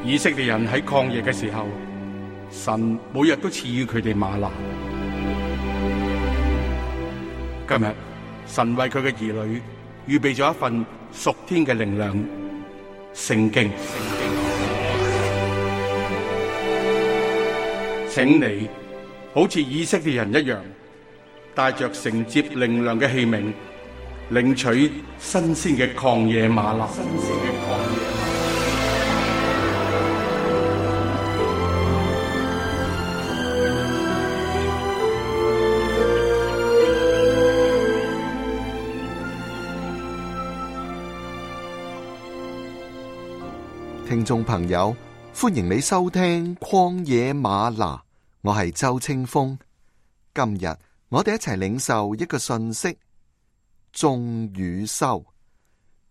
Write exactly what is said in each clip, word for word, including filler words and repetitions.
以色列人喺曠野嘅時候，神每日都賜予佢哋嗎哪。今日神為佢嘅兒女預備咗一份屬天嘅靈糧——聖經。請你好似以色列人一樣，帶着承接靈糧嘅器皿，領取新鮮嘅曠野嗎哪。新鮮嘅曠野嗎哪。聽眾朋友，歡迎你收聽曠野嗎哪，我係周清風。今日我哋一齊領受一個信息：種與收。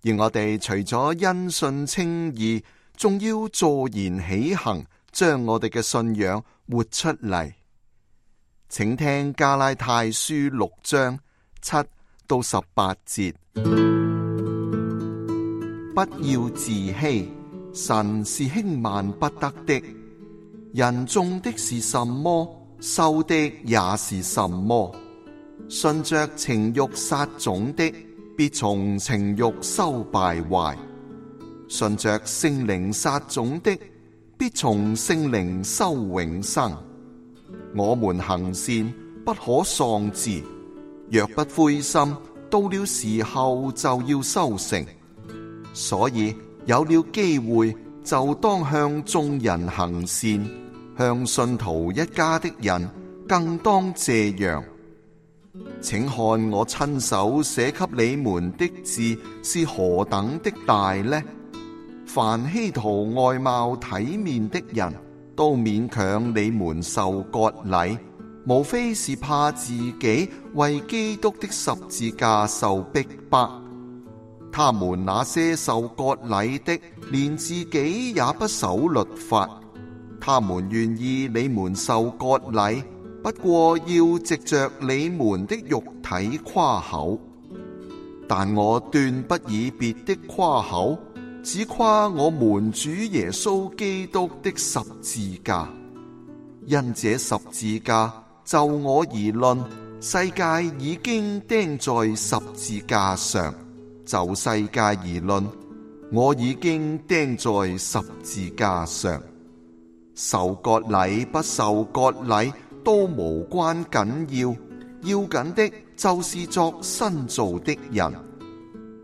而我哋除咗因信稱義，仲要坐言起行，將我哋嘅信仰活出嚟。請聽加拉太書六章七到十八節。不要自欺，神是輕慢不得的。人種的是什麼，收的也是什麼。順着情欲撒種的，必從情欲收敗壞；順着聖靈撒種的，必從聖靈收永生。我們行善不可喪志，若不灰心，到了時候就要收成。所以有了機會，就當向眾人行善，向信徒一家的人更當這樣。請看我親手寫給你們的字是何等的大呢？凡希圖外貌體面的人，都勉強你們受割禮，無非是怕自己為基督的十字架受逼迫。他們那些受割禮的，連自己也不守律法，他們願意你們受割禮，不過要藉着你們的肉體誇口。但我斷不以別的誇口，只誇我們主耶穌基督的十字架。因這十字架，就我而論，世界已經釘在十字架上。就世界而論，我已經釘在十字架上。受割禮不受割禮都無關緊要，要緊的就是作新造的人。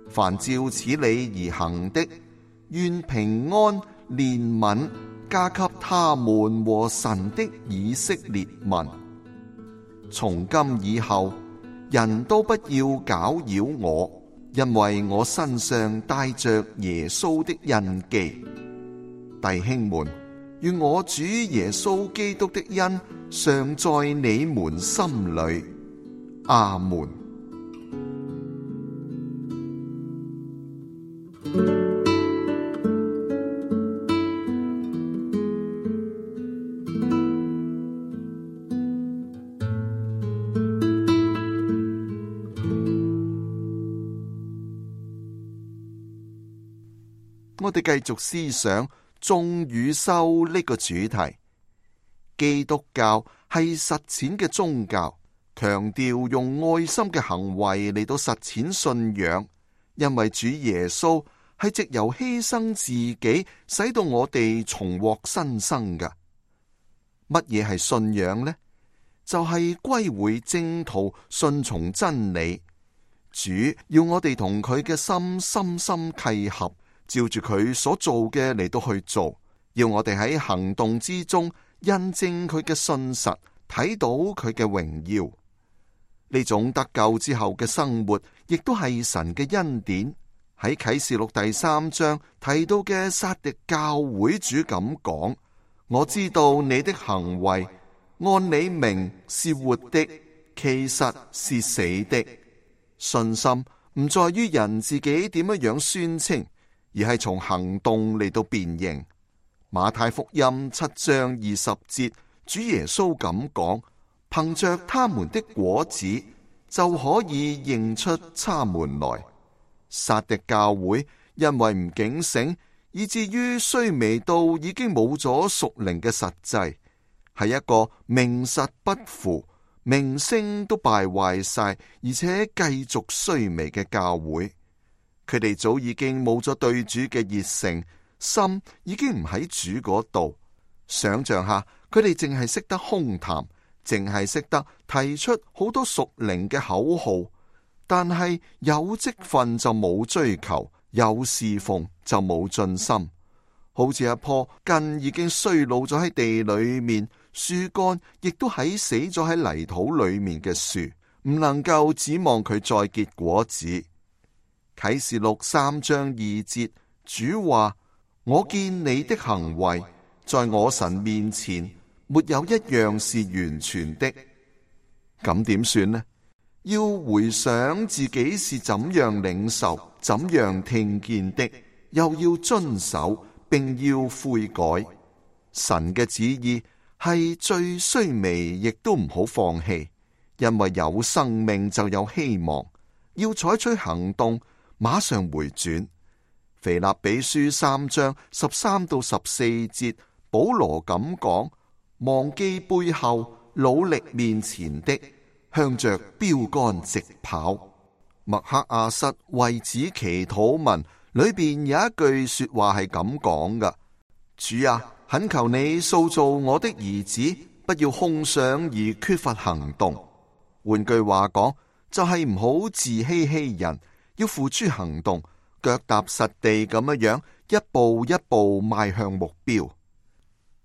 凡照此理而行的，願平安憐憫加給他們和神的以色列民。從今以後，人都不要攪擾我，因為我身上帶着耶穌的印記。弟兄們，願我主耶穌基督的恩常在你們心裏。阿門。我哋繼續思想種與收呢個主題。基督教係實踐嘅宗教，強調用愛心嘅行為嚟到實踐信仰，因為主耶穌係藉由犧牲自己，使到我哋重獲新生㗎。乜嘢係信仰呢？就係歸回正途，順從真理。主要我哋同佢嘅心深深契合，照住佢所做嘅嚟到去做，要我哋喺行動之中印證佢嘅信實，睇到佢嘅榮耀。呢種得救之後嘅生活，亦都係神嘅恩典。喺啟示錄第三章提到嘅撒狄教會主咁講：我知道你的行為，按你名是活的，其實是死的。信心唔在於人自己點樣樣宣稱，而係從行動嚟到辨認。馬太福音七章二十節，主耶穌咁講：憑着他們的果子就可以認出他們來。撒狄教會因為唔警醒，以至於衰微到已經冇咗屬靈嘅實際，係一個名實不符、名聲都敗壞晒，而且繼續衰微嘅教會。佢哋早已經冇咗對主嘅熱誠，心已經唔喺主嗰度。想象下，佢哋淨係識得空談，淨係識得提出好多屬靈嘅口號，但係有職分就冇追求，有侍奉就冇盡心。好似一棵根已經衰老咗喺地裏面，樹幹亦都喺死咗喺泥土裏面嘅樹，唔能夠指望佢再結果子。啟示錄三章二節，主話：我見你的行為，在我神面前沒有一樣是完全的。咁點算呢？要回想自己是怎樣領受、怎樣聽見的，又要遵守，並要悔改。神嘅旨意係最衰微，亦都唔好放棄，因為有生命就有希望。要採取行動，馬上回轉。腓立比書三章十三到十四節，保羅咁講：忘記背後，努力面前的，向着標杆直跑。麥克阿瑟為此祈禱文裏邊有一句說話係咁講噶：主啊，懇求你塑造我的兒子，不要空想而缺乏行動。換句話講，就係唔好自欺欺人，要付諸行動，腳踏實地咁樣樣，一步一步邁向目標。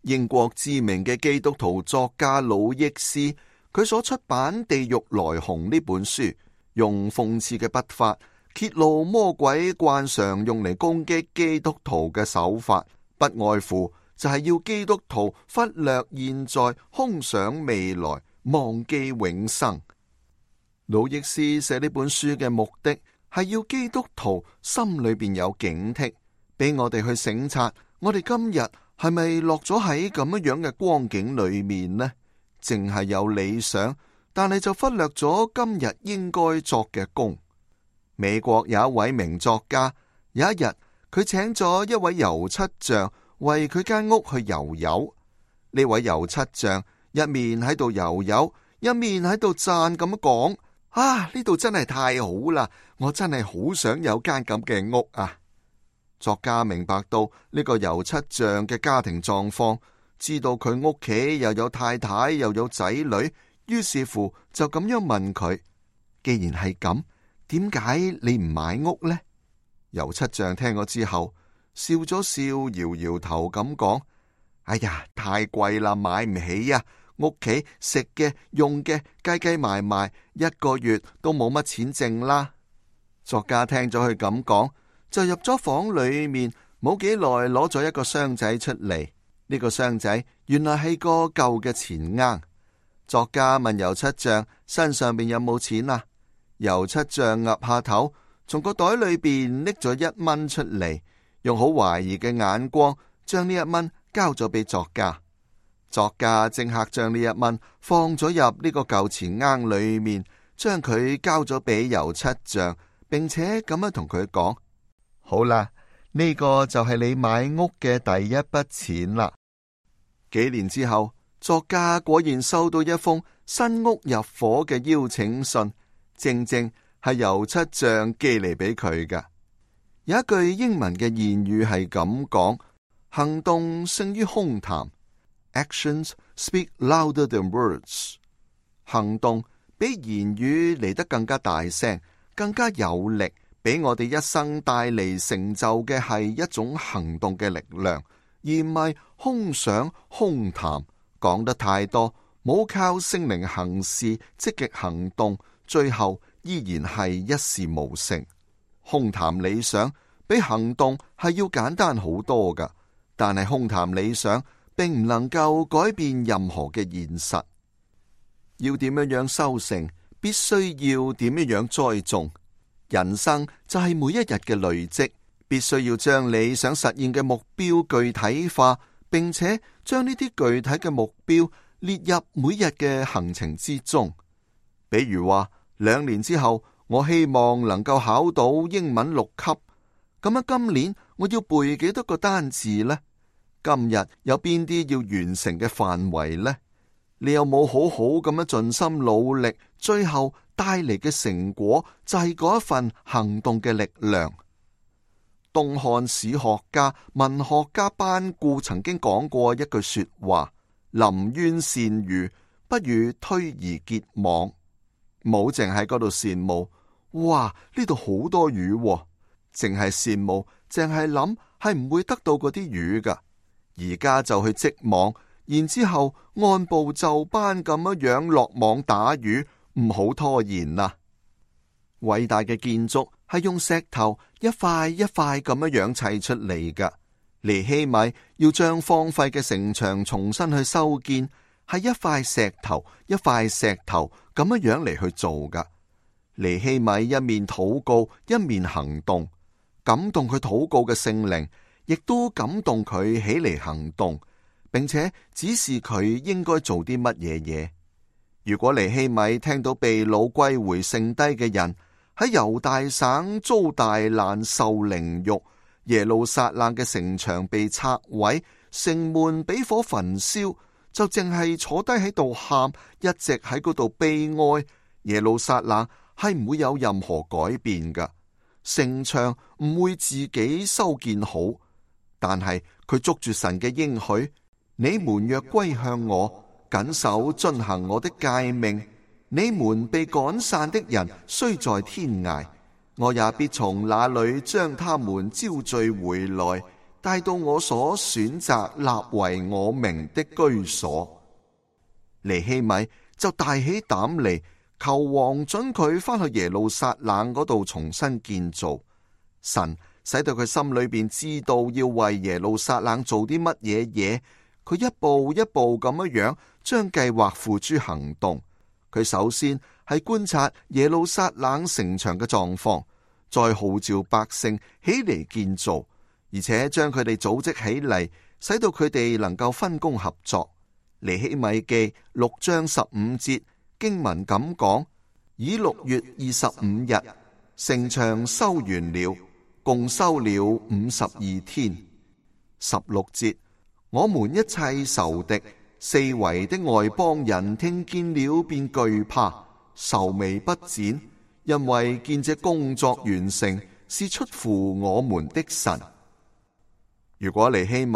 英國知名嘅基督徒作家魯益斯，佢所出版《地獄來鴻》呢本書，用諷刺嘅筆法揭露魔鬼慣常用嚟攻擊基督徒嘅手法，不外乎就係要基督徒忽略現在，空想未來，忘記永生。魯益斯寫呢本書嘅目的係要基督徒心裏邊有警惕，俾我哋去省察，我哋今日係咪落咗喺咁樣樣嘅光景裏面呢？淨係有理想，但係就忽略咗今日應該作嘅工。美國有一位名作家，有一日佢請咗一位油漆匠為佢間屋去油油。呢位油漆匠一面喺度油油，一面喺度讚咁講：啊，呢度真係太好啦！我真係好想有間咁嘅屋啊！作家明白到呢個油漆匠嘅家庭狀況，知道佢屋企又有太太又有仔女，於是乎就咁樣問佢：既然係咁，點解你唔買屋呢？油漆匠聽咗之後笑咗笑，搖搖頭咁講：哎呀，太貴啦，買唔起啊！屋企食嘅用嘅計計埋埋，一個月都冇乜錢剩啦。作家聽咗佢咁講，就入咗房裏面，冇幾耐攞咗一個箱仔出嚟。呢個箱仔原來係個舊嘅錢罌。作家問油漆匠身上邊有冇錢啊？油漆匠岌下頭，從個袋裏邊拎咗一蚊出嚟，用好懷疑嘅眼光將呢一蚊交咗俾作家。作家即刻將呢一蚊放咗入呢個舊錢罌裏面，將佢交咗俾油漆匠，並且咁樣同佢講：好啦，呢個就係你買屋嘅第一筆錢啦。幾年之後，作家果然收到一封新屋入伙嘅邀請信，正正係油漆匠寄嚟俾佢㗎。有一句英文嘅諺語係咁講：行動勝於空談。Actions speak louder than words。行動比言語嚟得更加大聲，更加有力。俾我哋一生帶嚟成就嘅係一種行動嘅力量，而唔係空想空談。講得太多，冇靠聖靈行事，積極行動，最後依然係一事無成。空談理想比行動係要簡單好多噶，但係空談理想並唔能夠改變任何嘅現實。要點樣樣收成，必須要點樣樣栽種。人生就係每一日嘅累積，必須要將你想實現嘅目標具體化，並且將呢啲具體嘅目標列入每日嘅行程之中。比如話，兩年之後我希望能夠考到英文六級，咁樣今年我要背幾多個單字呢？今日有邊啲要完成嘅範圍呢？你有冇好好咁樣盡心努力？最後帶嚟嘅成果就係嗰一份行動嘅力量。東漢史學家、文學家班固曾經講過一句說話：臨淵羨魚，不如推而結網。冇淨喺嗰度羨慕，哇！呢度好多魚喎，淨係羨慕，淨係諗係唔會得到嗰啲魚噶。而家就去織網，然之後按部就班咁樣樣落網打魚，唔好拖延啦。偉大嘅建築係用石頭一塊一塊咁樣樣砌出嚟噶。尼希米要將荒廢嘅城牆重新去修建，係一塊石頭一塊石頭咁樣樣嚟去做噶。尼希米一面禱告一面行動，感動佢禱告嘅聖靈，亦都感動佢起嚟行動，並且指示佢應該做啲乜嘢嘢。如果尼希米聽到被擄歸回剩低嘅人喺猶大省遭大難受凌辱，耶路撒冷嘅城牆被拆毀，城門俾火焚燒，就淨係坐低喺度喊，一直喺嗰度悲哀。耶路撒冷係唔會有任何改變噶，城牆唔會自己修建好。但係佢捉住神嘅應許，你們若歸向我，謹守遵行我的誡命，你們被趕散的人雖在天涯，我也必從那裏將他們招聚回來，帶到我所選擇立為我名的居所。尼希米就大起膽嚟，求王准佢返去耶路撒冷嗰度重新建造。神使到佢心裏邊知道要為耶路撒冷做啲乜嘢嘢，佢一步一步咁樣樣將計劃付諸行動。佢首先係觀察耶路撒冷城牆嘅狀況，再號召百姓起嚟建造，而且將佢哋組織起嚟，使到佢哋能夠分工合作。尼希米記六章十五節經文咁講：以六月二十五日，城牆修完了，共修了五十二天。十六節，我們一切仇敵四圍的外邦人聽見了便懼怕，愁眉不展，因為見這工作完成是出乎我們的神。如果尼希米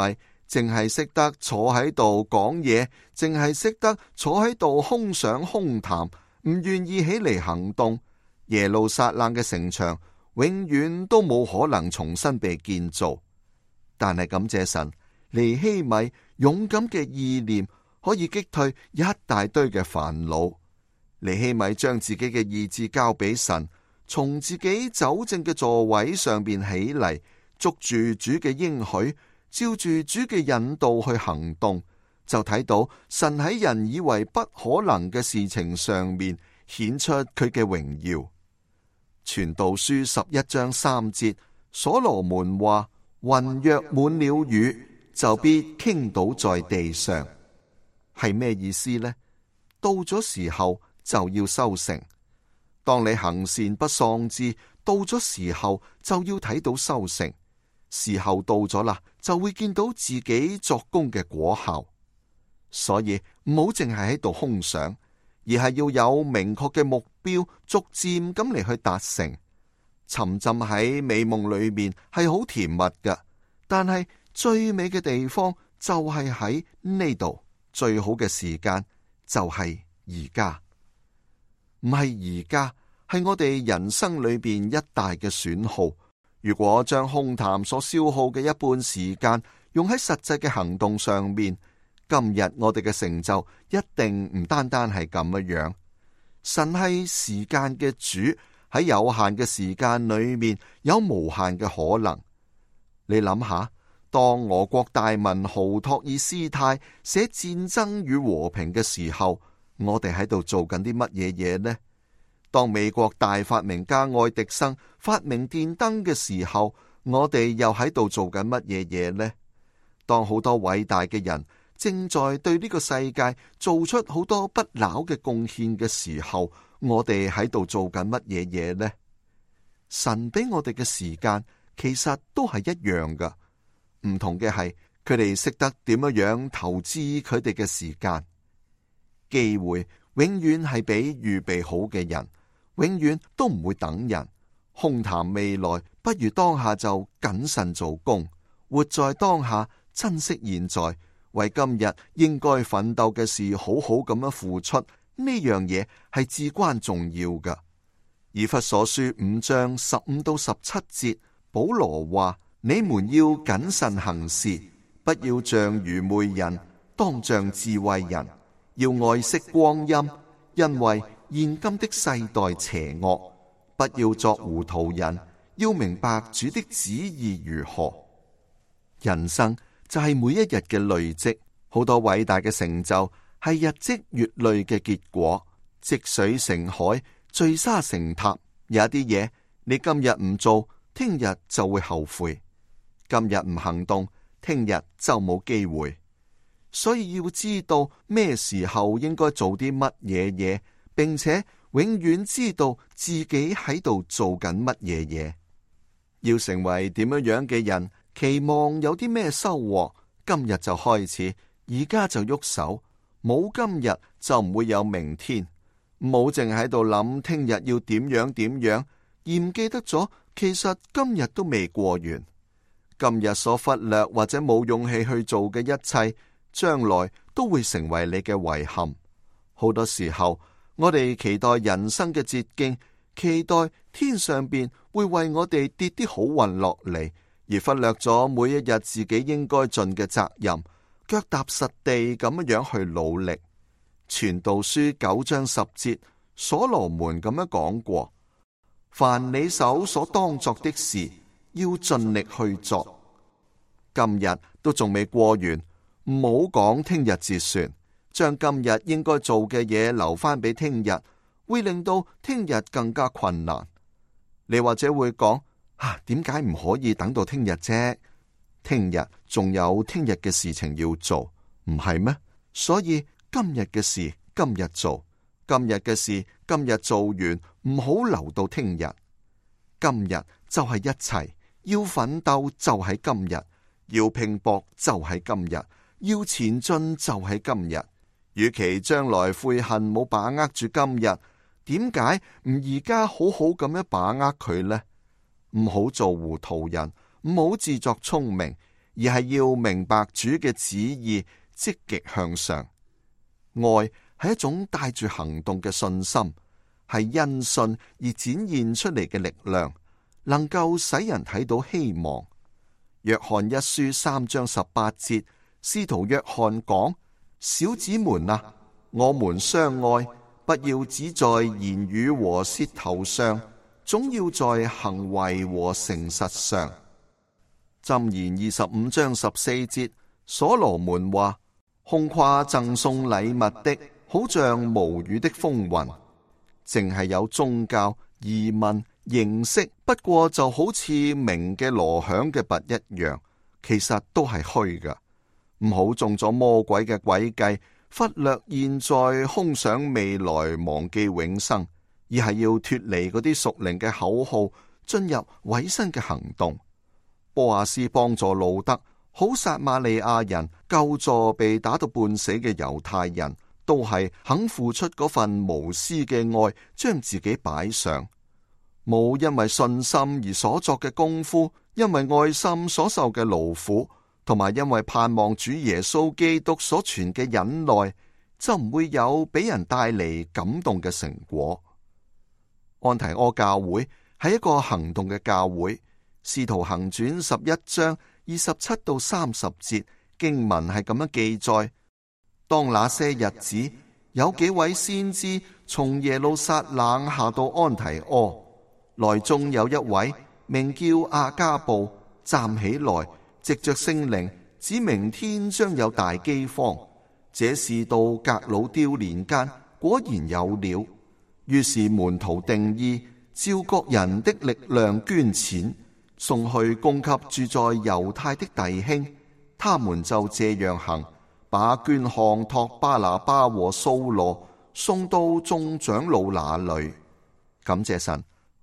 淨係識得坐喺度講嘢，淨係識得坐喺度空想空談，唔願意起嚟行動，耶路撒冷嘅城牆永遠都冇可能重新被建造。但係感謝神，尼希米勇敢嘅意念可以擊退一大堆嘅煩惱。尼希米將自己嘅意志交俾神，從自己走正嘅座位上邊起嚟，捉住主嘅應許，照住主嘅引導去行動，就睇到神喺人以為不可能嘅事情上面顯出佢嘅榮耀。傳道書十一章三節，所羅門話：雲若滿了雨，就必傾倒在地上。係咩意思呢？到咗時候就要收成。當你行善不喪志，到咗時候就要睇到收成。時候到咗啦，就會見到自己作工嘅果效。所以唔好淨係喺度空想，而係要有明確嘅目標，逐漸咁嚟去達成。沉浸喺美夢裏面係好甜蜜㗎，但係最美嘅地方就係喺呢度，最好嘅時間就係而家。唔係而家，係我哋人生裏邊一大嘅損耗。如果將空談所消耗嘅一半時間用喺實際嘅行動上面，今日我哋嘅成就一定唔單單係咁樣。神係時間嘅主，喺有限嘅時間裏面有無限嘅可能。你諗下，當俄國大文豪托爾斯泰寫戰爭與和平嘅時候，我哋喺度做緊啲乜嘢嘢呢？當美國大發明家愛迪生發明電燈嘅時候，我哋又喺度做緊乜嘢嘢呢？當好多偉大嘅人正在對呢個世界做出好多不朽嘅貢獻嘅時候，我哋喺度做緊乜嘢嘢呢？神俾我哋嘅時間其實都係一樣噶，唔同嘅係佢哋識得點樣樣投資佢哋嘅時間。機會永遠係俾預備好嘅人，永遠都唔會等人。空談未來，不如當下就謹慎做工，活在當下，珍惜現在，為今日應該奮鬥嘅事好好咁樣付出。呢樣嘢係至關重要噶。以弗所書五章十五到十七節，保羅話：你們要謹慎行事，不要像愚昧人，當像智慧人，要愛惜光陰，因為現今的世代邪惡。不要作糊塗人，要明白主的旨意如何。人生就係每一日嘅累積，好多偉大嘅成就係日積月累嘅結果。積水成海，聚沙成塔。有一啲嘢你今日唔做，聽日就會後悔；今日唔行動，聽日就冇機會。所以要知道咩時候應該做啲乜嘢嘢，並且永遠知道自己喺度做緊乜嘢嘢。要成為點樣樣嘅人，期望有啲咩收穫，今日就開始，而家就喐手。冇今日就唔會有明天。冇淨喺度諗聽日要點樣點樣，而唔記得咗其實今日都未過完。今日所忽略或者冇勇氣去做嘅一切，將來都會成為你嘅遺憾。好多時候，我哋期待人生嘅捷徑，期待天上邊會為我哋跌啲好運落嚟，而忽略咗每一日自己應該盡嘅責任，腳踏實地咁樣去努力。傳道書九章十節，所羅門咁樣講過：凡你手所當作的事，要盡力去做。今日都仲未過完，唔好講聽日至算，將今日應該做嘅嘢留翻俾聽日，會令到聽日更加困難。你或者會講：啊，點解唔可以等到聽日啫？聽日仲有聽日嘅事情要做，唔係咩？所以今日嘅事今日做，今日嘅事今日做完，唔好留到聽日。今日就係一切，要奮鬥就喺今日，要拼搏就喺今日，要前進就喺今日。與其將來悔恨冇把握住今日，點解唔而家好好咁樣把握佢呢？唔好做糊塗人，唔好自作聰明，而係要明白主嘅旨意，積極向上。愛係一種帶住行動嘅信心，係因信而展現出嚟嘅力量，能夠使人睇到希望。約翰一書三章十八節，使徒約翰講：小子們啊，我們相愛，不要只在言語和舌頭上，總要在行為和誠實上。箴言二十五章十四節，所羅門話：空誇贈送禮物的，好像無雨的風雲。淨係有宗教、儀文、形式，不過就好似鳴嘅鑼響嘅鈸一樣，其實都係虛㗎。唔好中咗魔鬼嘅詭計，忽略現在，空想未來，忘記永生，而係要脫離嗰啲屬靈嘅口號，進入委身嘅行動。波阿斯幫助路德，好撒瑪利亞人救助被打到半死嘅猶太人，都係肯付出嗰份無私嘅愛，將自己擺上。冇因為信心而所作嘅功夫，因為愛心所受嘅勞苦，同埋因為盼望主耶穌基督所傳嘅忍耐，就唔會有俾人帶嚟感動嘅成果。安提阿教會係一個行動嘅教會。使徒行傳十一章二十七到三十節經文係咁樣記載：當那些日子，有幾位先知從耶路撒冷下到安提阿，內中有一位名叫亞加布，站起來，藉着聖靈指明天將有大饑荒。這事到革老丟年間果然有了。於是門徒定意照各人的力量捐錢，送去供給住在猶太的弟兄。他們就這樣行，把捐項託巴拿巴和掃羅送到眾長老那裏。感謝神，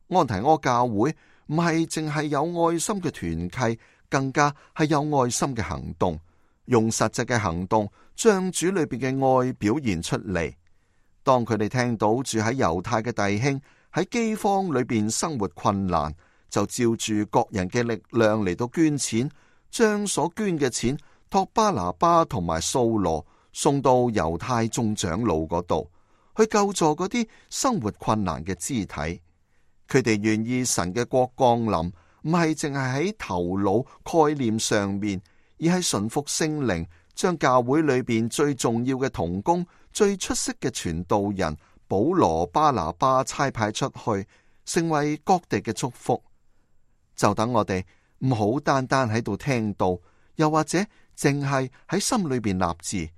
安提阿教會唔係淨係有愛心嘅團契，更加係有愛心嘅行動，用實際嘅行動將主裏邊嘅愛表現出嚟。當佢哋聽到住喺猶太嘅弟兄喺饑荒裏邊生活困難，就照住各人嘅力量嚟到捐錢，將所捐嘅錢託巴拿巴同埋掃羅送到猶太眾長老嗰度，去救助嗰啲生活困難嘅肢體。佢哋願意神嘅國降臨，唔係淨係喺頭腦概念上面，而係順服聖靈，將教會裏邊最重要嘅同工、最出色嘅傳道人保羅、巴拿巴差派出去，成為各地嘅祝福。就等我哋唔好單單喺度聽道，又或者淨係喺心裏邊立志，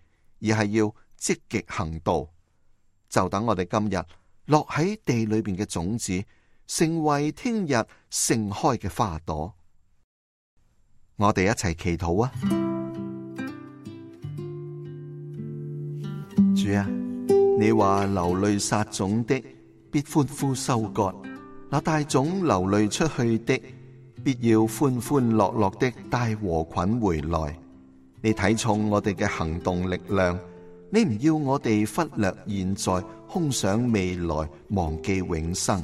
而係要積極行道。就等我哋今日落喺地裏邊嘅種子，成為聽日盛開嘅花朵。我哋一齊祈禱啊！主啊，你話流淚撒種的，必歡呼收割；那帶種流淚出去的，必要歡歡樂樂的帶禾捆回來。你睇重我哋嘅行動力量，你唔要我哋忽略現在，空想未來，忘記永生，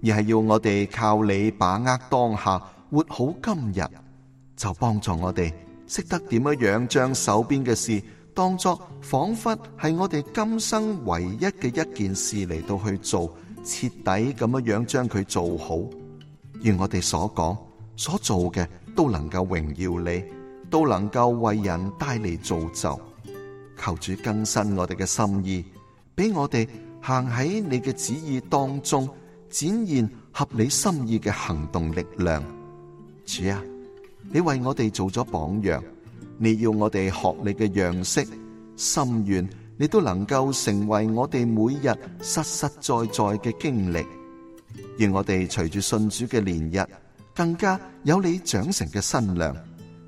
而係要我哋靠你把握當下，活好今日。就幫助我哋識得點樣樣將手邊嘅事當作仿佛係我哋今生唯一嘅一件事嚟到去做，徹底咁樣樣將佢做好。願我哋所講所做嘅都能夠榮耀你，都能夠為人帶嚟造就。求主更新我哋嘅心意，俾我哋行喺你嘅旨意當中，展現合你心意嘅行動力量。主啊，你為我哋做咗榜樣，你要我哋學你嘅樣式，心願你都能夠成為我哋每日實實在在嘅經歷。願我哋隨住信主嘅年日，更加有你長成嘅身量，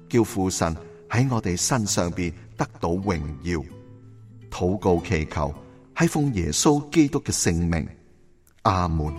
叫父神喺我哋身上邊得到榮耀。禱告祈求係奉耶穌基督嘅聖名，阿門。